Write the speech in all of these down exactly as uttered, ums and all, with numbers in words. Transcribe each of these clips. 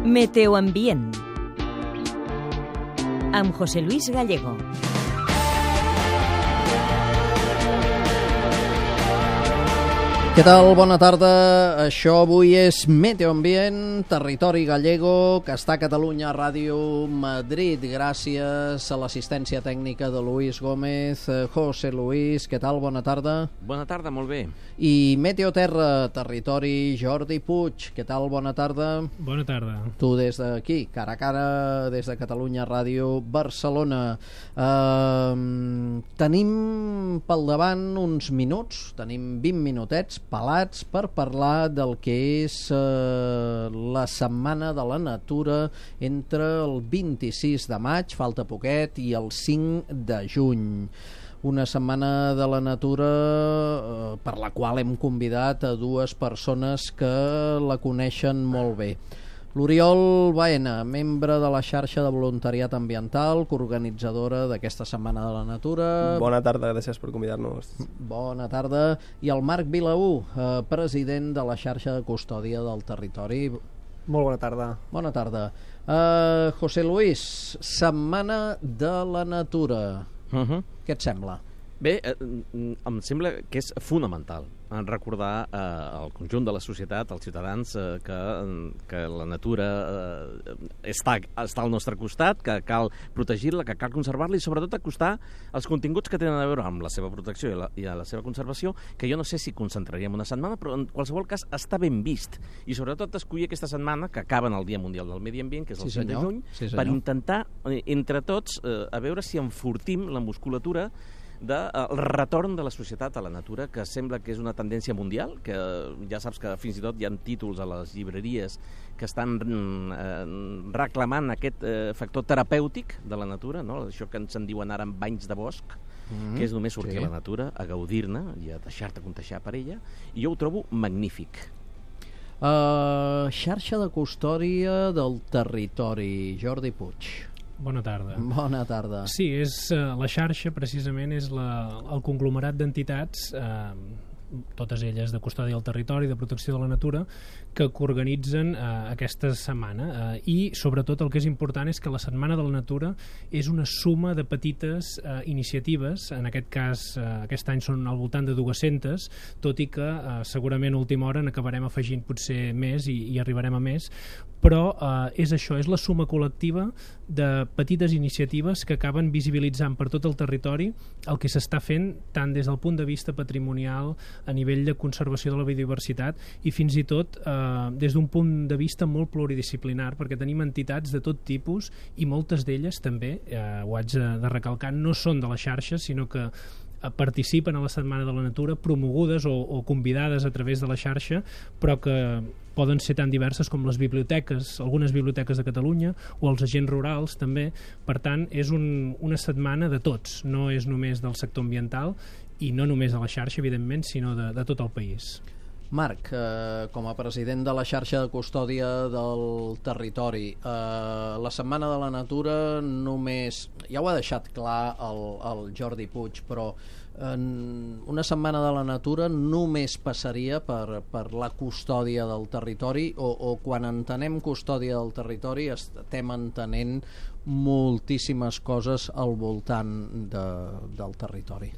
Meteoambient amb José Luis Gallego. Què tal? Bona tarda. Això avui és Meteoambient, territori gallego, que està a Catalunya Ràdio Madrid. Gràcies a l'assistència tècnica de Luis Gómez. José Luis, què tal? Bona tarda. Bona tarda, molt bé. I Meteoterra, territori Jordi Puig. Què tal? Bona tarda. Bona tarda. Tu des d'aquí, cara a cara, des de Catalunya Ràdio Barcelona. Uh, tenim pel davant uns minuts, tenim vint minutets pelats per parlar del que és eh, la Setmana de la Natura entre el vint-i-sis de maig, falta poquet, i el cinc de juny. Una Setmana de la Natura eh, per la qual hem convidat a dues persones que la coneixen molt bé. L'Oriol Baena, membre de la xarxa de voluntariat ambiental, coorganitzadora d'aquesta Setmana de la Natura. Bona tarda, gràcies per convidar-nos. Bona tarda. I el Marc Vilaú, eh, president de la xarxa de custòdia del territori. Molt bona tarda. Bona tarda. Uh, José Luis, Setmana de la Natura. Uh-huh. Què et sembla? Bé, eh, em sembla que és fonamental recordar eh, al conjunt de la societat, als ciutadans, eh, que, que la natura eh, està, està al nostre costat, que cal protegir-la, que cal conservar-la i sobretot acostar els continguts que tenen a veure amb la seva protecció i la, i la seva conservació, que jo no sé si concentraríem una setmana, però en qualsevol cas està ben vist. I sobretot escollir aquesta setmana, que acaba en el Dia Mundial del Medi Ambient, que és el sí, cinc de juny, sí, per intentar, eh, entre tots, eh, a veure si enfortim la musculatura del de, retorn de la societat a la natura, que sembla que és una tendència mundial, que ja saps que fins i tot hi ha títols a les llibreries que estan eh, reclamant aquest eh, factor terapèutic de la natura, no? Això que ens en diuen ara amb banys de bosc, mm-hmm. que és només sortir sí. a la natura, a gaudir-ne i a deixar-te contagiar per ella, i jo ho trobo magnífic. Uh, xarxa de custòdia del territori, Jordi Puig. Bona tarda. Bona tarda. Sí, és, uh, la xarxa precisament és la, el conglomerat d'entitats, uh, totes elles de custòdia del territori, de protecció de la natura, que coorganitzen uh, aquesta setmana. Uh, I, sobretot, el que és important és que la Setmana de la Natura és una suma de petites uh, iniciatives. En aquest cas, uh, aquest any són al voltant de dues-centes, tot i que uh, segurament a última hora n'acabarem afegint potser més i, i arribarem a més, però uh, és això, és la suma col·lectiva de petites iniciatives que acaben visibilitzant per tot el territori el que s'està fent tant des del punt de vista patrimonial, a nivell de conservació de la biodiversitat i fins i tot eh, des d'un punt de vista molt pluridisciplinar, perquè tenim entitats de tot tipus i moltes d'elles també, eh, ho haig de, de recalcar, no són de la xarxa, sinó que participen a la Setmana de la Natura promogudes o, o convidades a través de la xarxa, però que poden ser tan diverses com les biblioteques, algunes biblioteques de Catalunya o els agents rurals també. Per tant, és un, una setmana de tots, no és només del sector ambiental i no només de la xarxa, evidentment, sinó de, de tot el país. Marc, eh, com a president de la xarxa de custòdia del territori, eh, la Setmana de la Natura només, ja ho ha deixat clar el, el Jordi Puig, però eh, una Setmana de la Natura només passaria per, per la custòdia del territori o, o quan entenem custòdia del territori estem entenent moltíssimes coses al voltant de, del territori.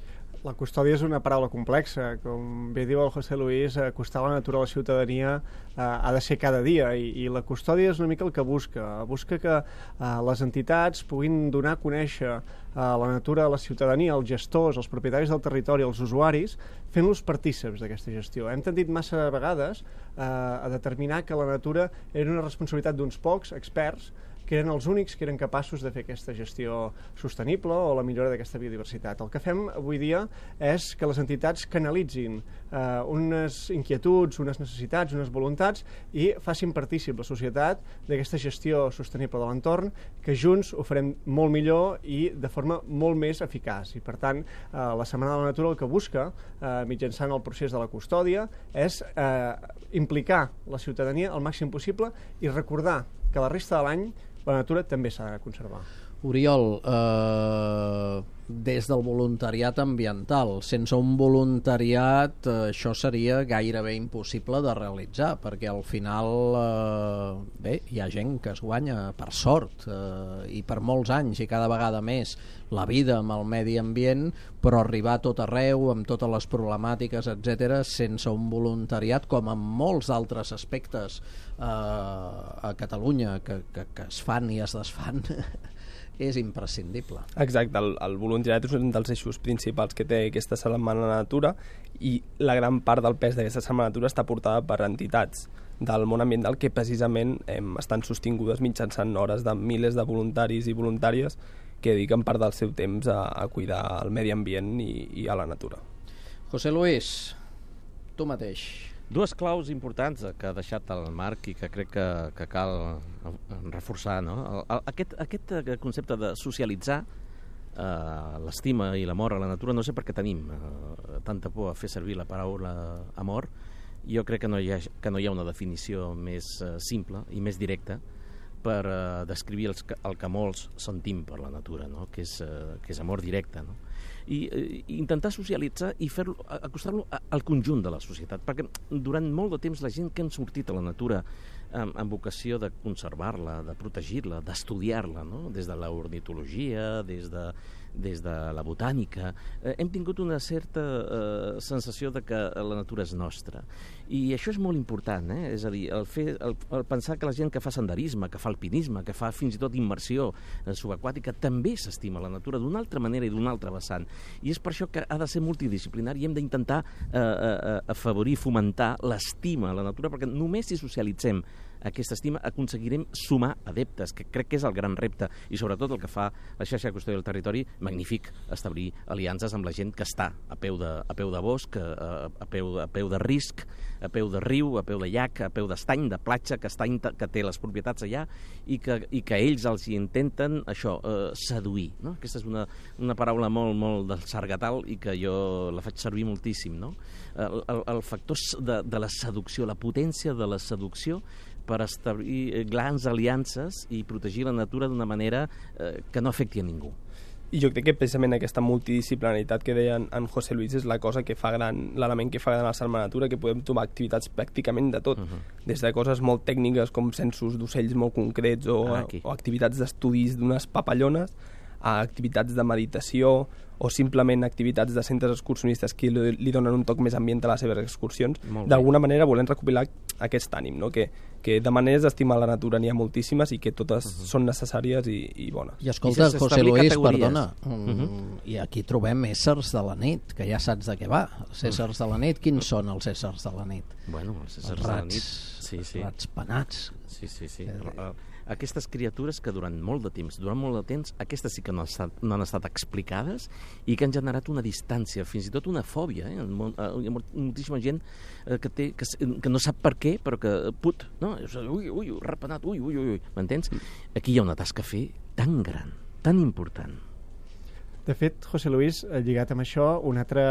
La custòdia és una paraula complexa. Com bé diu el José Luis, acostar la natura a la ciutadania eh, ha de ser cada dia i, i la custòdia és una mica el que busca. Busca que eh, les entitats puguin donar a conèixer eh, la natura a la ciutadania, als gestors, als propietaris del territori, als usuaris, fent-los partícips d'aquesta gestió. Hem tendit massa vegades eh, a determinar que la natura era una responsabilitat d'uns pocs experts que eren els únics que eren capaços de fer aquesta gestió sostenible o la millora d'aquesta biodiversitat. El que fem avui dia és que les entitats canalitzin eh, unes inquietuds, unes necessitats, unes voluntats i facin partícip la societat d'aquesta gestió sostenible de l'entorn, que junts ho farem molt millor i de forma molt més eficaç. I per tant, eh, la Setmana de la Natura el que busca, eh, mitjançant el procés de la custòdia, és eh, implicar la ciutadania al màxim possible i recordar que la resta de l'any la natura també s'ha de conservar. Oriol, eh, des del voluntariat ambiental. Sense un voluntariat eh, això seria gairebé impossible de realitzar, perquè al final eh, bé, hi ha gent que es guanya per sort eh, i per molts anys i cada vegada més la vida amb el medi ambient, però arribar a tot arreu amb totes les problemàtiques, etcètera, sense un voluntariat, com en molts altres aspectes eh, a Catalunya que, que, que es fan i es desfan és imprescindible. Exacte, el, el voluntariat és un dels eixos principals que té aquesta Setmana de la Natura, i la gran part del pes d'aquesta Setmana de la Natura està portada per entitats del món ambiental que precisament eh, estan sostingudes mitjançant hores de milers de voluntaris i voluntàries que dediquen part del seu temps a, a cuidar el medi ambient i, i a la natura. José Luis, tu mateix. Dues claus importants que ha deixat el Marc i que crec que, que cal reforçar, no? El, el, aquest, aquest concepte de socialitzar eh, l'estima i l'amor a la natura, no sé per què tenim eh, tanta por a fer servir la paraula amor. Jo crec que no hi ha, que no hi ha una definició més eh, simple i més directa per eh, descriure els, el que molts sentim per la natura, no? que, és, eh, que és amor directe, no? I eh, intentar socialitzar i fer-lo, acostar-lo al conjunt de la societat, perquè durant molt de temps la gent que han sortit a la natura amb, amb vocació de conservar-la, de protegir-la, d'estudiar-la, no? Des de l'ornitologia, des de, des de la botànica, eh, hem tingut una certa eh, sensació de que la natura és nostra. I això és molt important, eh? És a dir, el, fer, el, el pensar que la gent que fa senderisme, que fa alpinisme, que fa fins i tot immersió subaquàtica, també s'estima la natura d'una altra manera i d'una altra vessant. I és per això que ha de ser multidisciplinari i hem d'intentar eh, eh, afavorir, fomentar l'estima a la natura, perquè només si socialitzem aquesta estima aconseguirem sumar adeptes, que crec que és el gran repte, i sobretot el que fa la xarxa de custòdia del territori, magnífic establir aliances amb la gent que està a peu de, a peu de bosc, a, a, peu, a peu de risc, a peu de riu, a peu de llac, a peu d'estany, de platja, que, estany, que té les propietats allà, i que, i que ells els hi intenten això, eh, seduir, no? Aquesta és una, una paraula molt, molt del sargatal i que jo la faig servir moltíssim, no? El, el, el factor de, de la seducció, la potència de la seducció per establir grans aliances i protegir la natura d'una manera eh, que no afecti a ningú. I jo crec que precisament aquesta multidisciplinaritat que deia en, en José Luis és la cosa que fa gran, l'element que fa gran la Setmana de la Natura, que podem trobar activitats pràcticament de tot, uh-huh. Des de coses molt tècniques com censos d'ocells molt concrets o, ah, o activitats d'estudis d'unes papallones, a activitats de meditació o simplement activitats de centres excursionistes que li, li donen un toc més ambient a les seves excursions. D'alguna manera volem recopilar aquest ànim, no? que, que de maneres d'estimar la natura n'hi ha moltíssimes i que totes uh-huh. són necessàries i, i bones. I escolta, I José Luis, categories. Perdona, uh-huh. i aquí trobem éssers de la nit, que ja saps de què va. Els éssers de la nit, quins uh-huh. són els éssers de la nit? Bueno, els éssers els rats, de la nit... Sí, sí. Els rats penats. Sí, sí, sí. Eh, Aquestes criatures que durant molt de temps, durant molt de temps, aquestes sí que no han estat, no han estat explicades i que han generat una distància, fins i tot una fòbia. Eh? Hi ha moltíssima gent eh, que, té, que, que no sap per què, però que, put, no? Ui, ui, repenat, ui, ui, ui, m'entens? Aquí hi ha una tasca a fer tan gran, tan important. De fet, José Luis, lligat amb això, un altre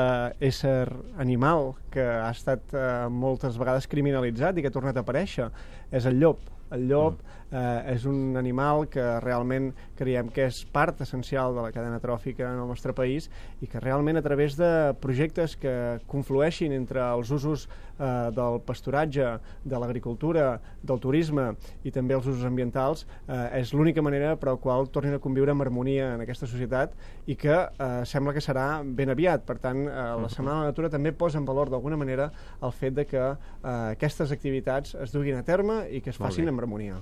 ésser animal que ha estat eh, moltes vegades criminalitzat i que ha tornat a aparèixer és el llop. El llop eh, és un animal que realment creiem que és part essencial de la cadena tròfica en el nostre país i que realment a través de projectes que conflueixin entre els usos eh, del pasturatge, de l'agricultura, del turisme i també els usos ambientals, eh, és l'única manera per la qual tornin a conviure amb harmonia en aquesta societat i que eh, sembla que serà ben aviat. Per tant, eh, la Setmana de la Natura també posa en valor d'alguna manera el fet de que eh, aquestes activitats es duguin a terme i que es facin amb harmonia.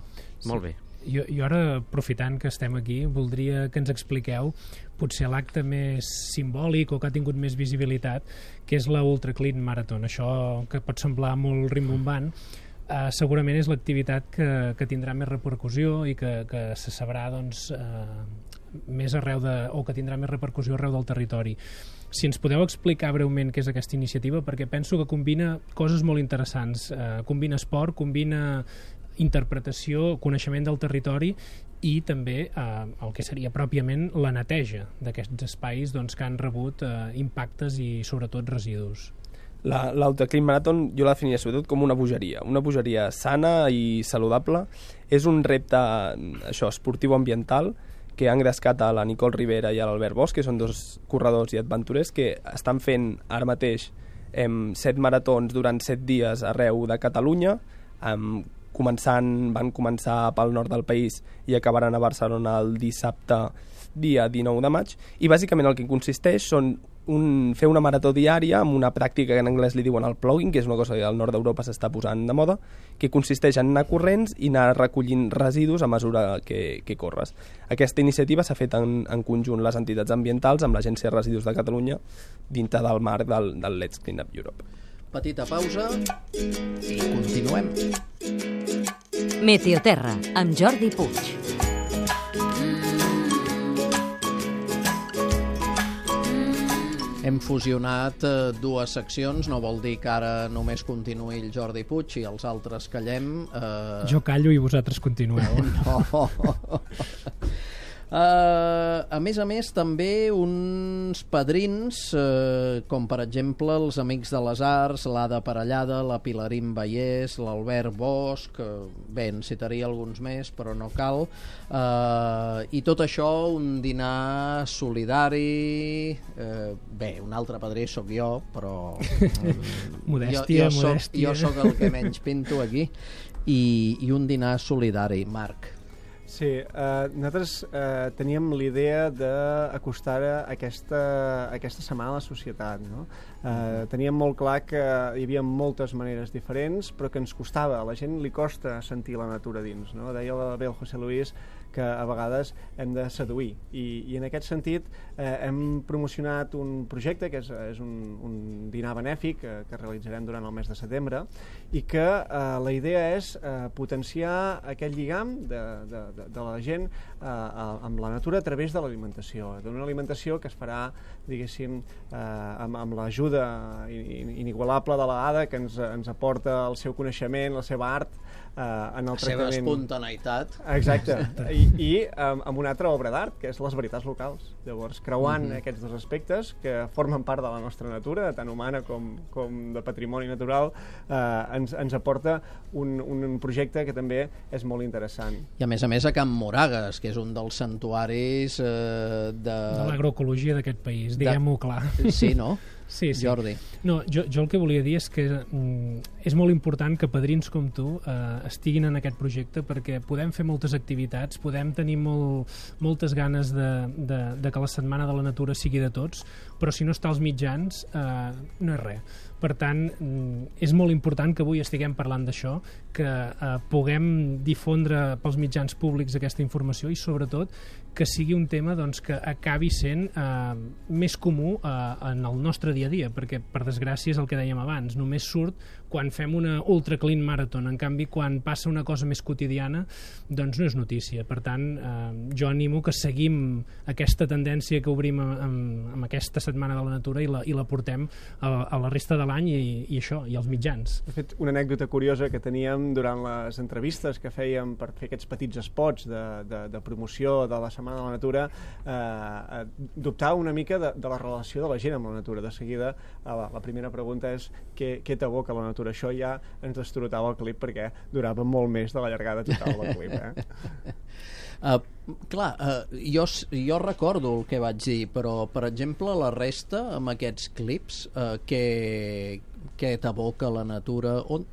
Molt bé. Jo, jo ara, aprofitant que estem aquí, voldria que ens expliqueu potser l'acte més simbòlic o que ha tingut més visibilitat, que és la Ultra Clean Marathon. Això que pot semblar molt rimbombant, eh, segurament és l'activitat que, que tindrà més repercussió i que, que se sabrà doncs, eh, més arreu de, o que tindrà més repercussió arreu del territori. Si ens podeu explicar breument què és aquesta iniciativa, perquè penso que combina coses molt interessants. Eh, combina esport, combina interpretació, coneixement del territori i també eh, el que seria pròpiament la neteja d'aquests espais doncs, que han rebut eh, impactes i sobretot residus. L'Ultra Clean Marathon jo la definiria sobretot com una bogeria, una bogeria sana i saludable. És un repte això esportiu ambiental que han engrescat a la Nicole Rivera i a l'Albert Bosch, que són dos corredors i aventurers que estan fent ara mateix em, set maratons durant set dies arreu de Catalunya, em, començant, van començar pel nord del país i acabaran a Barcelona el dissabte dia dinou de maig, i bàsicament el que consisteix són un, fer una marató diària amb una pràctica que en anglès li diuen el plogging, que és una cosa que al nord d'Europa s'està posant de moda, que consisteix en anar corrents i anar recollint residus a mesura que, que corres. Aquesta iniciativa s'ha fet en, en conjunt les entitats ambientals amb l'Agència de Residus de Catalunya dintre del marc del, del Let's Clean Up Europe. Petita pausa i continuem. Meteoterra, amb Jordi Puig. Hem fusionat eh, dues seccions, no vol dir que ara només continuï el Jordi Puig i els altres callem. Eh... Jo callo i vosaltres continueu. No. Uh, a més a més, també uns padrins, uh, com per exemple els Amics de les Arts, l'Ada Parellada, la Pilarín Vallès, l'Albert Bosch, uh, bé, en citaria alguns més, però no cal. Uh, I tot això, un dinar solidari... Uh, bé, un altre padrí sóc jo, però... modèstia, jo, jo modèstia. Soc, jo sóc el que menys pinto aquí. I, i un dinar solidari, Marc. Sí, eh, nosaltres eh, teníem l'idea d'acostar aquesta, aquesta setmana a la societat, no? Eh, teníem molt clar que hi havia moltes maneres diferents, però que ens costava, a la gent li costa sentir la natura dins, no? Deia bé el José Luis que a vegades hem de seduir, i, i en aquest sentit eh, hem promocionat un projecte que és, és un, un dinar benèfic que, que realitzarem durant el mes de setembre, i que eh, la idea és eh, potenciar aquest lligam de, de, de, de la gent eh, amb la natura a través de l'alimentació, d'una alimentació que es farà, diguéssim, eh, amb, amb l'ajuda inigualable de l'Ada, que ens, ens aporta el seu coneixement, la seva art, eh, en el la seva tractament... espontaneïtat. Exacte, i, i amb, amb una altra obra d'art, que és les veritats locals. Llavors, creuant mm-hmm. aquests dos aspectes que formen part de la nostra natura, tant humana com, com de patrimoni natural, eh, ens, ens aporta un, un projecte que també és molt interessant. I a més a més a Can Moragues, que és un dels santuaris eh, de... de l'agroecologia d'aquest país, diguem-ho clar. Sí, no? Sí, sí. Jordi. No, jo, jo el que volia dir és que mm, és molt important que padrins com tu eh, estiguin en aquest projecte, perquè podem fer moltes activitats, podem tenir molt, moltes ganes de, de, de que la Setmana de la Natura sigui de tots, però si no està als mitjans eh, no és res. Per tant, és molt important que avui estiguem parlant d'això, que eh, puguem difondre pels mitjans públics aquesta informació i, sobretot, que sigui un tema doncs, que acabi sent eh, més comú eh, en el nostre dia a dia, perquè, per desgràcia, és el que dèiem abans, només surt quan fem una ultra clean marathon. En canvi, quan passa una cosa més quotidiana, doncs no és notícia. Per tant, eh, jo animo que seguim aquesta tendència que obrim amb, amb aquesta Setmana de la Natura i la, i la portem a, a la resta de l'any i, i això, i als mitjans. De fet, una anècdota curiosa que teníem durant les entrevistes que fèiem per fer aquests petits spots de, de, de promoció de la Setmana de la Natura, eh, dubtava una mica de, de la relació de la gent amb la natura. De seguida, la, la primera pregunta és què, què t'evoca la natura? Això ja ens destrotava el clip perquè durava molt més de la llargada total del clip. Eh? Uh, clar, uh, jo, jo recordo el que vaig dir, però, per exemple, la resta, amb aquests clips, uh, què, què t'evoca la natura? On...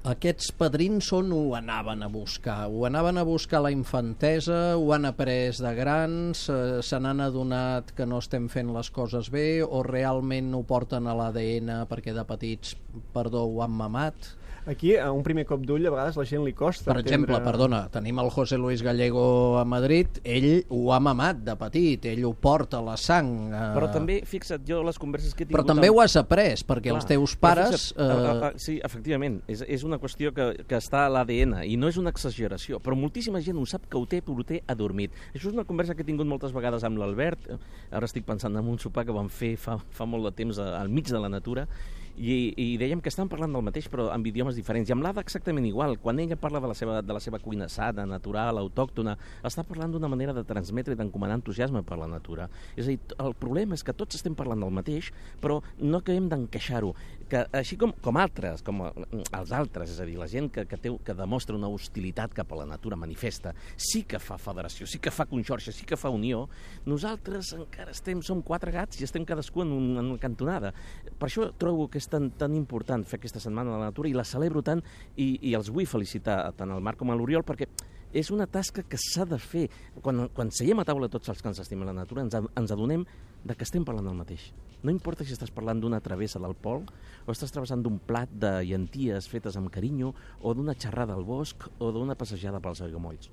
Aquests padrins on ho anaven a buscar? Ho anaven a buscar la infantesa? Ho han après de grans? Eh, se n'han adonat que no estem fent les coses bé? O realment ho porten a l'A D N perquè de petits, perdó, ho han mamat? Aquí, a un primer cop d'ull, a vegades la gent li costa Per exemple, entendre... perdona, tenim el José Luis Gallego a Madrid, ell ho ha mamat de petit, ell ho porta a la sang. Eh... Però també, fixa't, jo les converses que he tingut... Però també amb... ho has après, perquè Clar, els teus pares... Fixa't, eh... a, a, sí, efectivament, és, és una qüestió que, que està a l'A D N, i no és una exageració, però moltíssima gent ho sap que ho té, però ho té adormit. Això és una conversa que he tingut moltes vegades amb l'Albert, ara estic pensant en un sopar que vam fer fa, fa molt de temps al mig de la natura, I, i dèiem que estan parlant del mateix però amb idiomes diferents, i amb l'Ada exactament igual. Quan ella parla de la seva, de la seva cuina sana, natural, autòctona, està parlant d'una manera de transmetre i d'encomanar entusiasme per la natura. És a dir, el problema és que tots estem parlant del mateix, però no acabem d'encaixar-ho. Que, així com, com altres, com els altres, és a dir, la gent que, que, té, que demostra una hostilitat cap a la natura manifesta, sí que fa federació, sí que fa conxorxa, sí que fa unió, nosaltres encara estem, som quatre gats i estem cadascú en, un, en una cantonada. Per això trobo que és tan, tan important fer aquesta setmana de la natura i la celebro tant i, i els vull felicitar tant al Marc com a l'Oriol perquè és una tasca que s'ha de fer. Quan, quan seiem a taula tots els que ens estimem la natura ens, ens adonem de que estem parlant del mateix. No importa si estàs parlant d'una travessa del pol o estàs travessant d'un plat de llenties fetes amb carinyo o d'una xerrada al bosc o d'una passejada pels aiguamolls.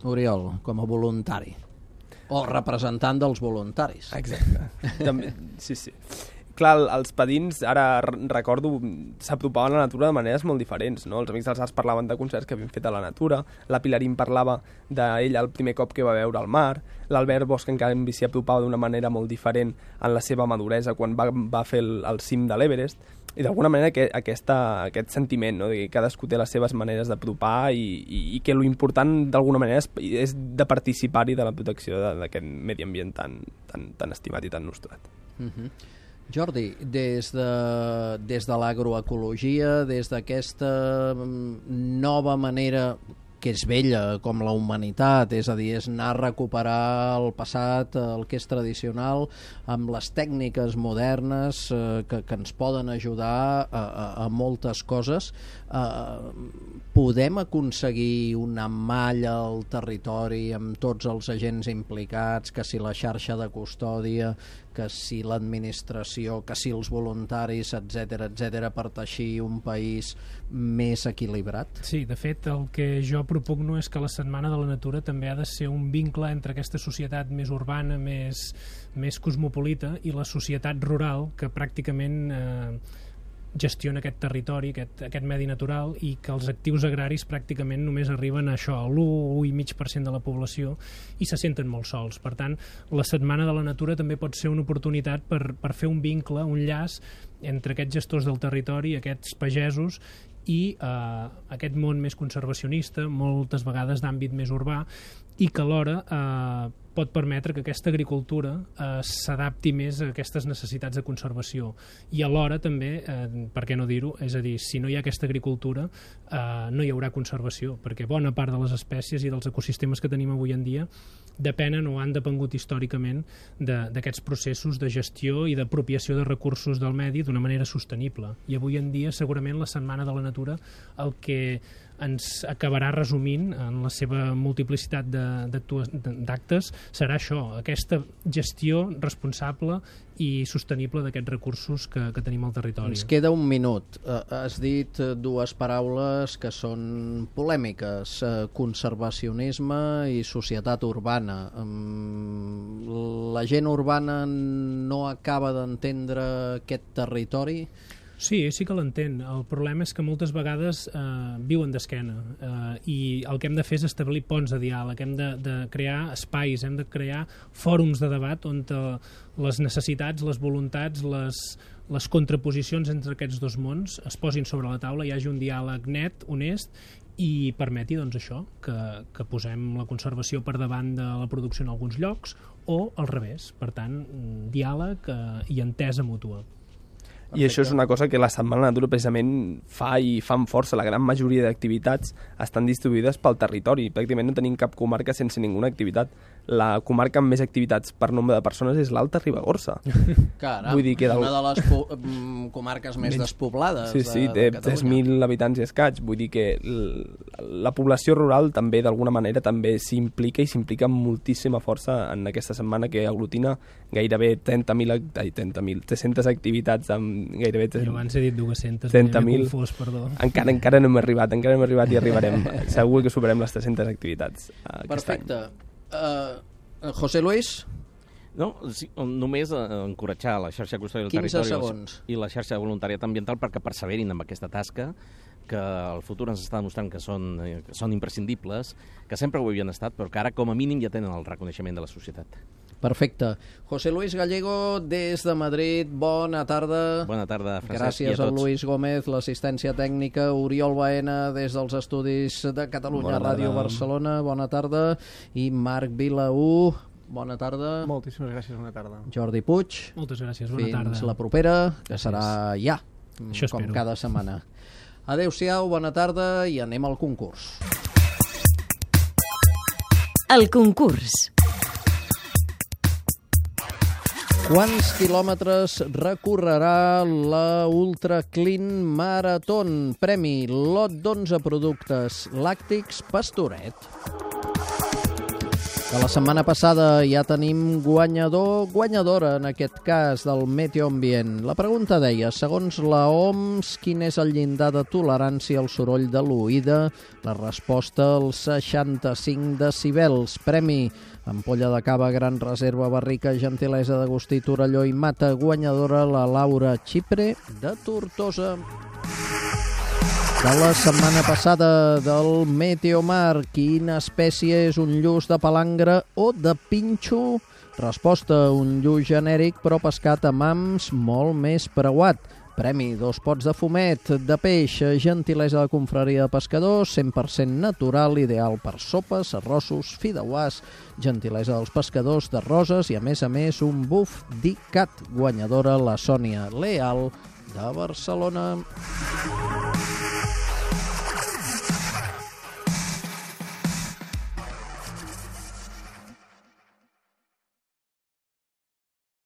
Oriol, com a voluntari. O representant dels voluntaris. Exacte. També, sí, sí. Clar, els padins, ara recordo, s'apropaven a la natura de maneres molt diferents, no? Els Amics dels Arts parlaven de concerts que havien fet a la natura, la Pilarín parlava d'ella el primer cop que va veure el mar, l'Albert Bosch en canvi s'hi apropava d'una manera molt diferent en la seva maduresa quan va, va fer el, el cim de l'Everest, i d'alguna manera que, aquesta, aquest sentiment, no? De que cadascú té les seves maneres d'apropar i, i, i que l'important d'alguna manera és, és de participar-hi de la protecció d'aquest medi ambient tan, tan, tan estimat i tan nostrat. Mhm. Jordi, des de, des de l'agroecologia, des d'aquesta nova manera que és vella com la humanitat, és a dir, és anar a recuperar el passat, el que és tradicional, amb les tècniques modernes eh, que, que ens poden ajudar a, a, a moltes coses, eh, podem aconseguir una malla al territori amb tots els agents implicats, que si la xarxa de custòdia, que si l'administració, que si els voluntaris, etcètera, etcètera, per teixir un país més equilibrat? Sí, de fet, el que jo propugno és que la Setmana de la Natura també ha de ser un vincle entre aquesta societat més urbana, més, més cosmopolita, i la societat rural, que pràcticament eh, gestiona aquest territori, aquest, aquest medi natural, i que els actius agraris pràcticament només arriben a això, a l'u coma cinc per cent de la població, i se senten molt sols. Per tant, la Setmana de la Natura també pot ser una oportunitat per, per fer un vincle, un llaç entre aquests gestors del territori, aquests pagesos, i eh, aquest món més conservacionista, moltes vegades d'àmbit més urbà, i que alhora eh, pot permetre que aquesta agricultura eh, s'adapti més a aquestes necessitats de conservació. I alhora també, eh, per què no dir-ho, és a dir, si no hi ha aquesta agricultura eh, no hi haurà conservació, perquè bona part de les espècies i dels ecosistemes que tenim avui en dia depenen o han depengut històricament d'aquests processos de gestió i d'apropiació de recursos del medi d'una manera sostenible. I avui en dia segurament la Setmana de la Natura el que ens acabarà resumint en la seva multiplicitat d'actes serà això, aquesta gestió responsable i sostenible d'aquests recursos que, que tenim al territori. Ens queda un minut. Uh, has dit dues paraules que són polèmiques, uh, conservacionisme i societat urbana. Um, la gent urbana no acaba d'entendre aquest territori? Sí, sí que l'entén. El problema és que moltes vegades eh, viuen d'esquena eh, i el que hem de fer és establir ponts de diàleg, hem de, de crear espais, hem de crear fòrums de debat on te, les necessitats, les voluntats, les, les contraposicions entre aquests dos mons es posin sobre la taula, hi hagi un diàleg net, honest, i permeti doncs, això, que, que posem la conservació per davant de la producció en alguns llocs o al revés. Per tant, diàleg eh, i entesa mútua. I això és una cosa que la Setmana de la Natura precisament fa i fa amb força. La gran majoria d'activitats estan distribuïdes pel territori. Pràcticament no tenim cap comarca sense ninguna activitat. La comarca amb més activitats per nombre de persones és l'Alta Ribagorça. Caram, Vull dir que del... una de les po comarques més despoblades sí, sí, de, de té tres mil habitants i escaig. Vull dir que la població rural també, d'alguna manera, també s'implica i s'implica amb moltíssima força en aquesta setmana que aglutina gairebé trenta mil, trenta mil, tres-centes activitats amb gairebé... Jo abans he dit dues-centes, trenta mil. Confós, perdó. Encara, encara no hem arribat, encara no hem arribat i arribarem. Segur que superem les tres-centes activitats uh, Perfecte. Uh, José Luis? No, sí, només eh, encoratjar la xarxa custòdia del territori segons. i la xarxa de voluntariat ambiental perquè perseverin amb aquesta tasca, que el futur ens està demostrant que són, eh, que són imprescindibles, que sempre ho havien estat, però que ara com a mínim ja tenen el reconeixement de la societat. Perfecte. José Luis Gallego, des de Madrid, bona tarda. Bona tarda, Francesc, Gràcies i a tots. a Luis Gómez, l'assistència tècnica, Oriol Baena, des dels estudis de Catalunya Bona Ràdio tarda. Barcelona, bona tarda, i Marc Vilaú, bona tarda. Moltíssimes gràcies, bona tarda. Jordi Puig, Moltes gràcies, bona tarda. fins la propera, que serà ja, Això com espero. cada setmana. Adéu-siau, bona tarda, i anem al concurs. El concurs. Quants quilòmetres recorrerà la Ultra Clean Marathon? Premi, lot d'onze productes làctics Pastoret. De la setmana passada ja tenim guanyador, guanyadora en aquest cas del Meteo Ambient. La pregunta deia, segons la O M S, quin és el llindar de tolerància al soroll de l'oïda? La resposta, els seixanta-cinc decibels. Premi, ampolla de cava, gran reserva, barrica, gentilesa d'Agustí, Torelló i Mata. Guanyadora, la Laura Xipre, de Tortosa. De la setmana passada del Meteomar, quina espècie és un lluç de palangre o de pinxo? Resposta, un lluç genèric però pescat amb hams molt més preuat. Premi, dos pots de fumet, de peix, gentilesa de confraria de pescadors, cent per cent natural, ideal per sopes, arrossos, fideuàs, gentilesa dels pescadors de roses i, a més a més, un buf d'Icat. Guanyadora, la Sònia Leal, de Barcelona.